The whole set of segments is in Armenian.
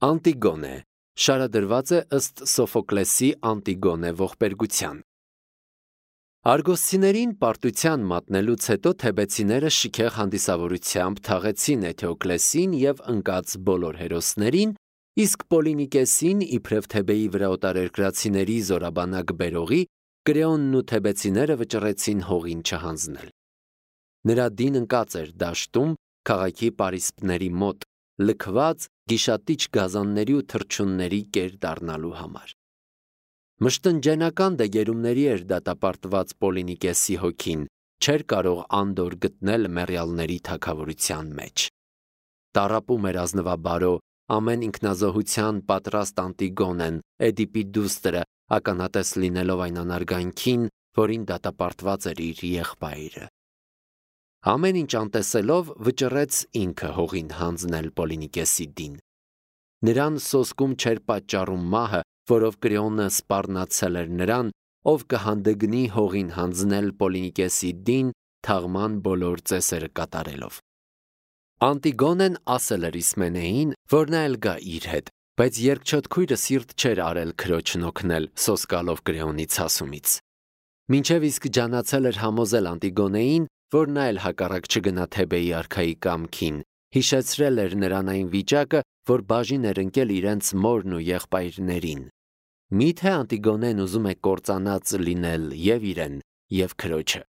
Անտիգոնե շարադրված է ըստ Սոֆոկլեսի Անտիգոնե ողբերգության։ Արգոսցիներին պարտության մատնելուց հետո թեբեցիները շքեղ հանդիսավորությամբ թաղեցին Էթեոկլեսին և ընկած բոլոր հերոսներին, իսկ Պոլինիկեսին իբրև Թեբեի վրա օտարերկրացիների զորաբանակ բերողի Կրեոնն ու թեբեցիները վճռեցին հողին չհանձնել։ Նրա դին ընկած էր դաշտում քաղաքի պարիսպների մոտ, լքված գիշատիչ գազանների ու թռչունների կեր դառնալու համար։ Մշտնջենական դեգերումների էր դատապարտված Պոլինիկեսի հոգին, չէր կարող անդոր գտնել մեռյալների թագավորության մեջ։ Տառապում էր ազնվաբարո, ամեն ինքնազոհության պատրաստ Անտիգոնեն, Էդիպի դուստրը, ականատես լինելով այն անարգանքին, որին դատապարտված էր իր եղբայրը։ Ամեն ինչ անտեսելով վճռեց ինքը հողին հանձնել Պոլինիկեսի դին։ Նրան սոսկում չէր պատճառում մահը, որով Կրեոնը սպառնացել էր նրան, ով կհանդգնի հողին հանձնել Պոլինիկեսի դին թաղման բոլոր ծեսերը կատարելով։ Անտիգոնեն ասել էր Իսմենեին, որ նա էլ գա իր հետ, բայց երկչոտ քույրը սիրտ չէր արել քրոջն օգնել սոսկալով Կրեոնի ցասումից։ Մինչև իսկ ջանացել էր համոզել Անտիգոնեին, որ նա էլ հակառակ չգնա Թեբեի արքայի կամքին, հիշեցրել էր նրան այն վիճակը, որ բաժին էր ընկել իրենց մորն ու եղբայրներին։ Միթե Անտիգոնեն ուզում է կործանած լինել և իրեն, և քրոջը։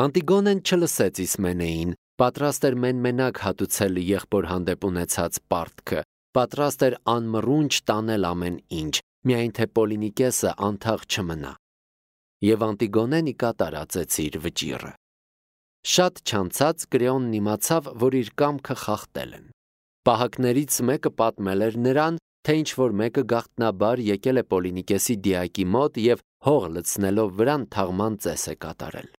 Անտիգոնեն չլսեց Իսմենեին, պատրաստ էր մեն-մենակ հատուցել եղբոր հանդեպ ունեցած պարտքը, պատրաստ էր անմռունչ տանել ամեն ինչ, միայն թե Պոլինիկեսը անթաղ չմնա։ Եվ Անտիգոնեն ի կատար ածեց իր վճիռը։ Շատ չանցած Կրեոնն իմացավ, որ իր կամքը խախտել են։ Պահակներից մեկը պատմել էր նրան, թե ինչ-որ մեկը գաղտնաբար եկել է Պոլինիկեսի դիակի մոտ և հող լցնելով վրան թաղման ծես է կատարել։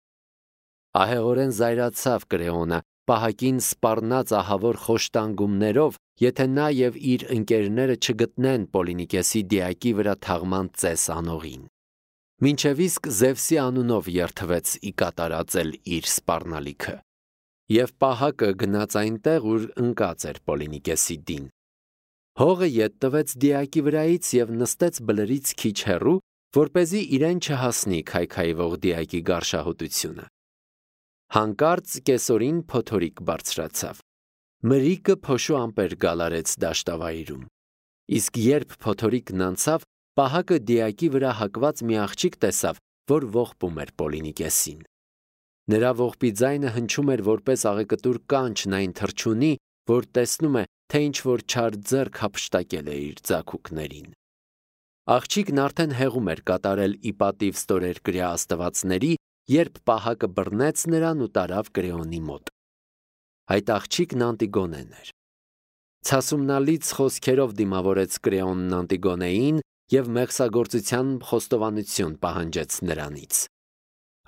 Ահեղորեն զայրացավ Կրեոնը, պահակին սպառնաց ահավոր խոշտանգումներով, եթե նա և իր ընկերները չգտնեն Պոլինիկեսի դիակի վրա թաղման ծես անողին։ Մինչև իսկ Զևսի անունով երդվեց ի կատար ածել իր սպառնալիքը։ Եվ պահակը գնաց այնտեղ, ուր ընկած էր Պոլինիկեսի դին։ Հողը ետ տվեց դիակի վրայից և նստեց բլրից քիչ հեռու, որպեսզի իրեն չհասնի քայքայվող դիակի գարշահոտությունը։ Հանկարծ կեսօրին փոթորիկ բարձրացավ։ Մրիկը փոշու ամպեր գալարեց դաշտավայրում։ Իսկ երբ փոթորիկն անցավ, պահակը դիակի վրա հակված մի աղջիկ տեսավ, որ ողբում էր Պոլինիկեսին։ Նրա ողբի ձայնը հնչում էր որպես աղեկտուր կանչն այն թռչունի, որ տեսնում է, թե ինչ-որ չար ձեռք հափշտակել է իր ձագուկներին։ Աղջիկն արդեն հեղում էր կատարել ի պատիվ ստորերկրյա աստվածների, երբ պահակը բռնեց նրան ու տարավ Կրեոնի մոտ։ Այդ աղջիկն Անտիգոնեն էր։ Ցասումնալից խոսքերով դիմավորեց Կրեոնն Անտիգոնեին և մեղսագործության խոստովանություն պահանջեց նրանից։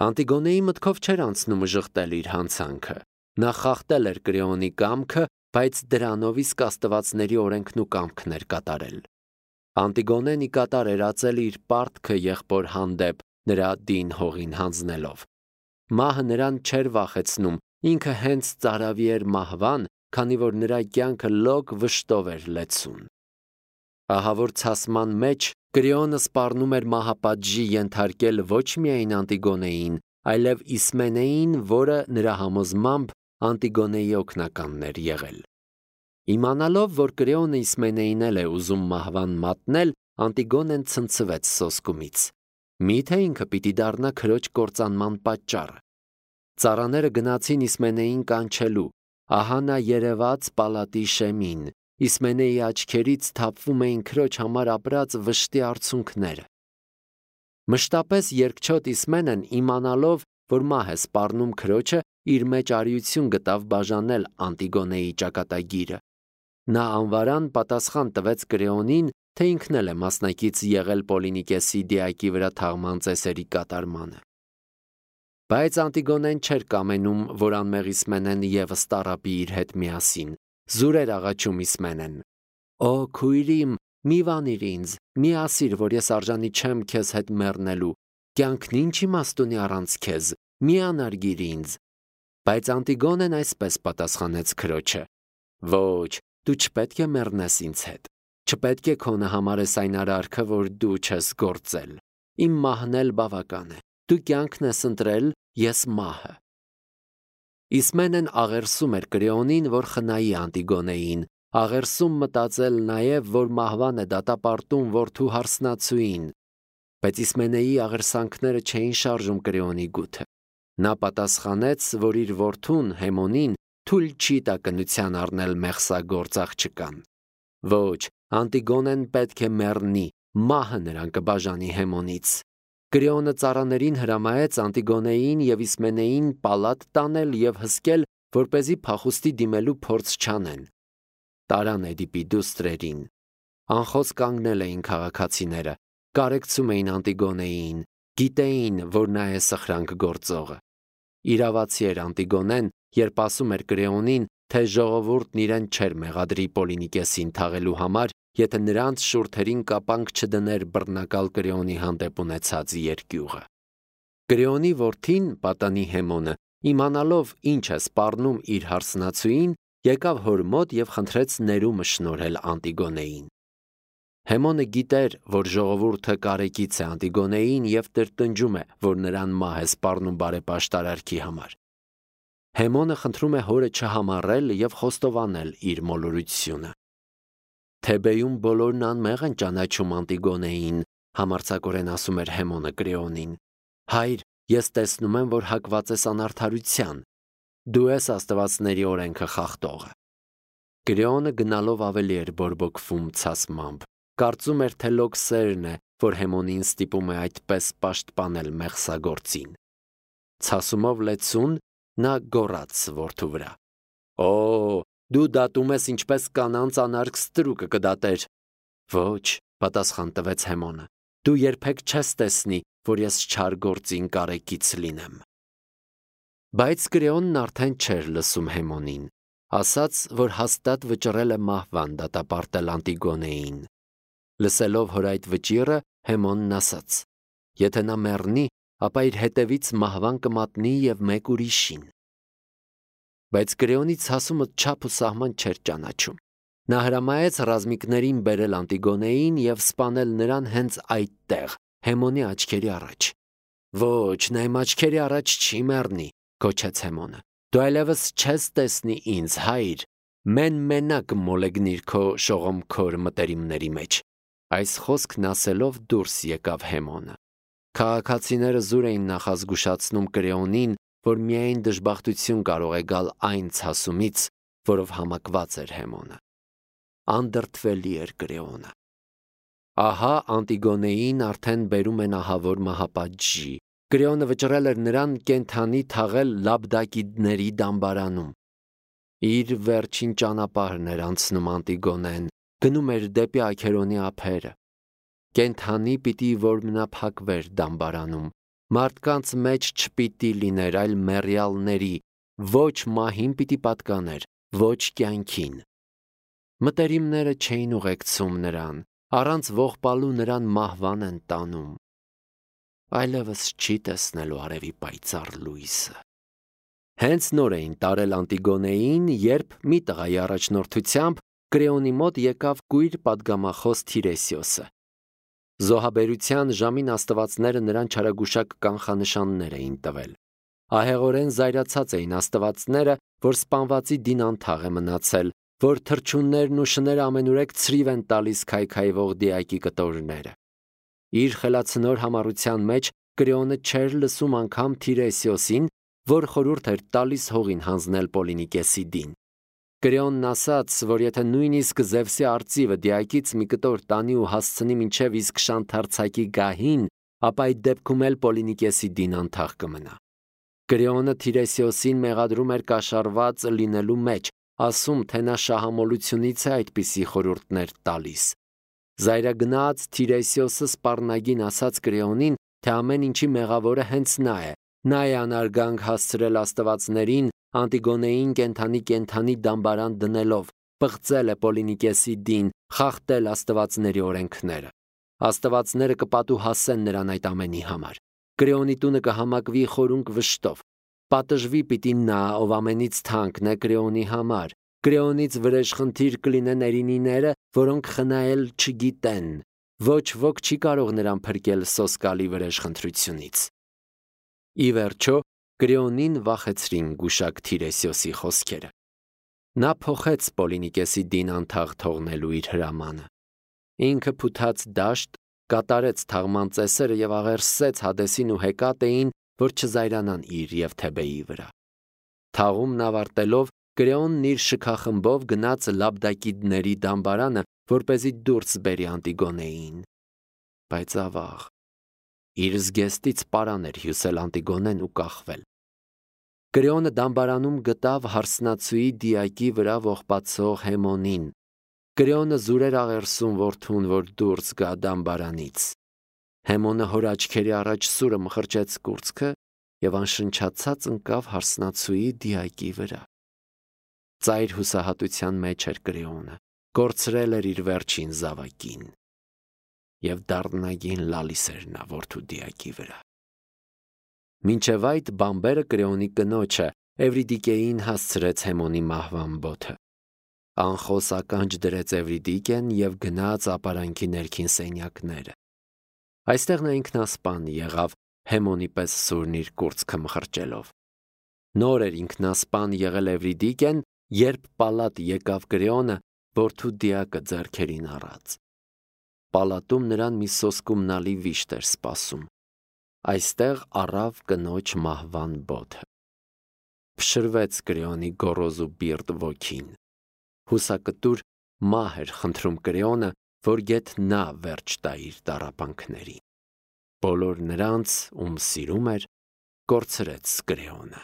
Անտիգոնեի մտքով չէր անցնում ժխտել իր հանցանքը։ Նա խախտել էր Կրեոնի կամքը, բայց դրանով իսկ աստվածների օրենքն ու կամքն էր կատարել։ Անտիգոնեն ի կատար էր ածել իր պարտքը եղբոր հանդեպ, նրա դին հողին հանձնելով։ Մահը նրան չէր վախեցնում, ինքը հենց ծարավի էր մահվան, քանի որ նրա կյանքը լոկ վշտով էր լեցուն։ Ահավոր ցասման մեջ Կրեոնը սպառնում էր մահապատժի ենթարկել ոչ միայն Անտիգոնեին, այլև Իսմենեին, որը նրա համոզմամբ Անտիգոնեի օգնականն էր եղել։ Իմանալով, որ Կրեոնը Իսմենեին էլ է ուզում մահվան մատնել, Անտիգոնեն ցնցվեց սոսկումից։ Միթե ինքը պիտի դառնա քրոջ կործանման պատճառը։ Ծառաները գնացին Իսմենեին կանչելու, ահա նա երևաց պալատի շեմին, Իսմենեի աչքերից թափվում էին քրոջ համար ապրած վշտի արցունքները։ Մշտապես երկչոտ Իսմենեն, իմանալով, որ մահ է սպառնում քրոջը, իր մեջ արիություն գտավ բաժանել Անտիգոնեի ճակատագիրը։ Նա անվարան պատասխան տվեց Կրեոնին, թե ինքն էլ է մասնակից եղել Պոլինիկեսի դիակի վրա թաղման ծեսերի կատարմանը։ Բայց Անտիգոնեն չէր կամենում, որ անմեղ Իսմենեն ևս տառապի իր հետ միասին։ Զուր էր աղաչում Իսմենեն. «Օ քույրիմ, մի վանիր ինձ, մի ասիր, որ ես արժանի չեմ քեզ հետ մեռնելու, կյանքն ինչ իմաստ ունի առանց քեզ, մի անարգիր ինձ»։ Բայց Անտիգոնեն այսպես պատասխանեց քրոջը. «Ոչ, դու չպետք է մեռնես ինձ հետ։ Չպետք է քոնը համարես այն արարքը, որ դու չես գործել։ Իմ մահն էլ բավական է։ Դու կյանքն ես ընտրել, ես մահը։ Իսմենեն աղերսում էր Կրեոնին, որ խնայի Անտիգոնեին, աղերսում մտածել նաև, որ մահվան է դատապարտում որդու հարսնացուին, բայց Իսմենեի աղերսանքները չէին շարժում Կրեոնի գութը։ Նա պատասխանեց, որ իր որդուն Հեմոնին թույլ չի տա կնության առնել մեղսագործ աղջկան։ Ոչ, Անտիգոնեն պետք է մեռնի, մահը նրան կբաժանի Հեմոնից։ Կրեոնը ծառաներին հրամայեց Անտիգոնեին և Իսմենեին պալատ տանել և հսկել, որպեսզի փախուստի դիմելու փորձ չանեն։ Տարան Էդիպի դուստրերին։ Անխոց կանգնել էին քաղաքացիները, կարեկցում էին Անտիգոնեին, գիտեին, որ նա է սխրանք գործողը։ Իրավացի էր Անտիգոնեն, երբ ասում էր Կրեոնին, թե ժողովուրդն իրեն չէր մեղադրի Պոլինիկեսին թաղելու համար, եթե նրանց շուրթերին կապանք չդներ բռնակալ Կրեոնի հանդեպ ունեցած երկյուղը։ Կրեոնի որդին, պատանի Հեմոնը, իմանալով ինչ է սպառնում իր հարսնացուին, եկավ հոր մոտ և խնդրեց ներումը շնորհել Անտիգոնեին։ Հեմոնը գիտեր, որ ժողովուրդը կարեկից է Անտիգոնեին և տրտնջում է, որ նրան մահ է սպառնում բարեպաշտարարքի համար։ Հեմոնը խնդրում է հորը չհամառել և խոստովանել իր մոլորությունը։ Թեբեյում բոլորն անմեղ են ճանաչում Անտիգոնեին, համարձակորեն ասում էր Հեմոնը Կրեոնին։ Հայր, ես տեսնում եմ, որ հակված ես անարդարության։ Դու ես աստվածների օրենքը խախտողը։ Կրեոնը գնալով ավելի էր բորբոքվում ցասմամբ, կարծում էր, թե լոքսերն է, որ Հեմոնին ստիպում է այդպես պաշտպանել մեղսագործին։ Ցասումով լեցուն նա գոռաց որդու վրա. «Օ, դու դատում ես ինչպես կանանց անարգ ստրուկը կդատեր»։ «Ոչ», պատասխան տվեց Հեմոնը, «դու երբեք չես տեսնի, որ ես չար գործին կարեկից լինեմ»։ Բայց Կրեոնն արդեն չէր լսում Հեմոնին, ասաց, որ հաստատ վճռել է մահվան դատապարտել Անտիգոնեին։ Լսելով հոր այդ վճիռը, Հեմոնն ասաց. «Եթե նա մեռնի, ապա իր հետևից մահվան կմատնի և մեկ ուրիշին»։ Բայց Կրեոնի ցասումը չափ ու սահման չէր ճանաչում։ Նա հրամայեց ռազմիկներին բերել Անտիգոնեին և սպանել նրան հենց այդտեղ, Հեմոնի աչքերի առաջ։ «Ոչ, նա իմ աչքերի առաջ չի մեռնի», գոչեց Հեմոնը։ «Դու այլևս չես տեսնի ինձ, հայր, մենակ մոլեգնիր քո շողոմքոր մտերիմների մեջ»։ Այս խոսքն ասելով դուրս եկավ Հեմոնը։ Քաղաքացիները զուր էին նախազգուշացնում Կրեոնին, որ միայն դժբախտություն կարող է գալ այն ցասումից, որով համակված էր Հեմոնը։ Անդրդվելի էր Կրեոնը։ Ահա Անտիգոնեին արդեն բերում են ահավոր մահապատժի։ Կրեոնը վճռել էր նրան կենդանի թաղել Լաբդակիդների դամբարանում։ Իր վերջին ճանապարհն էր անցնում Անտիգոնեն, գնում էր դեպի Աքերոնի ափերը։ Կենդանի պիտի որմնափակվեր դամբարանում, մարդկանց մեջ չպիտի լիներ, այլ մեռյալների, ոչ մահին պիտի պատկաներ, ոչ կյանքին։ Մտերիմները չէին ուղեկցում նրան, առանց ողբալու նրան մահվան են տանում։ Այլևս չի տեսնելու արևի պայծառ լույսը։ Հենց նոր էին տարել Անտիգոնեին, երբ մի տղայի առաջնորդությամբ Կրեոնի մոտ եկավ կույր պատգամախոս Թիրեսիոսը։ Զոհաբերության ժամին աստվածները նրան չարագուշակ կանխանշաններ էին տվել։ Ահեղորեն զայրացած էին աստվածները, որ սպանվածի դին անթաղ է մնացել, որ թռչուններն ու շները ամենուրեք ցրիվ են տալիս քայքայվող դիակի կտորները։ Իր խելացնոր համառության մեջ Կրեոնը չէր լսում անգամ Թիրեսիոսին, որ խորհուրդ էր տալիս հողին հանձնել Պոլինիկեսի դին։ Կրեոնն ասաց, որ եթե նույնիսկ Զևսի արծիվը դիակից մի կտոր տանի ու հասցնի մինչև իսկ շանթարցակի գահին, ապա այդ դեպքում էլ Պոլինիկեսի դին անթաղ կմնա։ Կրեոնը Թիրեսիոսին մեղադրում էր կաշառված լինելու մեջ, ասում, թե նա շահամոլությունից է այդպիսի խորհուրդներ տալիս։ Զայրագնաց Թիրեսիոսը սպառնագին ասաց Կրեոնին, թե ամեն ինչի մեղավորը հենց նա է։ Նա է անարգանք հասցրել աստվածներին, Անտիգոնեին կենդանի դամբարան դնելով, պղծել է Պոլինիկեսի դին, խախտել աստվածների օրենքները։ Աստվածները կպատուհասեն նրան այդ ամենի համար։ Կրեոնի տունը կհամակվի խորունկ վշտով։ Պատժվի պիտի նա, ով ամենից թանկն է Կրեոնի համար, Կրեոնից վրեժխնդիր կլինեն էրինիները, որոնք խնայել չգիտեն։ Ոչ ոք չի կարող նրան փրկել սոսկալի վրեժխնդրությունից։ Ի վերջո, Կրեոնին վախեցրին գուշակ Թիրեսիոսի խոսքերը։ Նա փոխեց Պոլինիկեսի դին անթաղ թողնելու իր հրամանը։ Ինքը փութած դաշտ, կատարեց թաղման ծեսերը եւ աղերսեց Հադեսին ու Հեկատեին, որ չզայրանան իր եւ Թեբեի վրա։ Թաղումն ավարտելով, Կրեոնն իր շքախմբով գնաց Լաբդակիդների դամբարանը, որպեսզի դուրս բերի Անտիգոնեին։ Բայց ավաղ, իր զգեստից պարան էր հյուսել Անտիգոնեն ու կախվել։ Կրեոնը դամբարանում գտավ հարսնացուի դիակի վրա ողբացող Հեմոնին։ Կրեոնը զուրեր աղերսում որդուն, որ դուրս գա դամբարանից։ Հեմոնը հոր աչքերի առաջ սուրը մխրճեց կուրծքը եւ անշնչացած ընկավ հարսնացուի դիակի վրա։ Ծայր հուսահատության մեջ էր Կրեոնը, կորցրել էր իր վերջին զավակին եւ դառնագին լալիս էր նա որդու դիակի վրա։ Մինչև այդ բամբերը Կրեոնի կնոջը Էվրիդիկեին հասցրեց Հեմոնի մահվան բոթը։ Անխոս ականջ դրեց Էվրիդիկեն եւ գնաց ապարանքի ներքին սենյակները։ Այստեղ նա ինքնասպան եղավ Հեմոնի պես սուրն իր կուրծքը մխրճելով։ Նոր էր ինքնասպան եղել Էվրիդիկեն, երբ պալատ եկավ Կրեոնը, որդու դիակը ձեռքերին առած։ Պալատում նրան մի սոսկումնալի վիշտ էր սպասում։ Այստեղ առավ կնոջ մահվան բոթը։ Փշրվեց Կրեոնի գոռոզ ու բիրտ ոգին։ Հուսակտուր մահ էր խնդրում Կրեոնը, որ գեթ նա վերջ տա իր տառապանքներին։ Բոլոր նրանց, ում սիրում էր, կորցրեց Կրեոնը։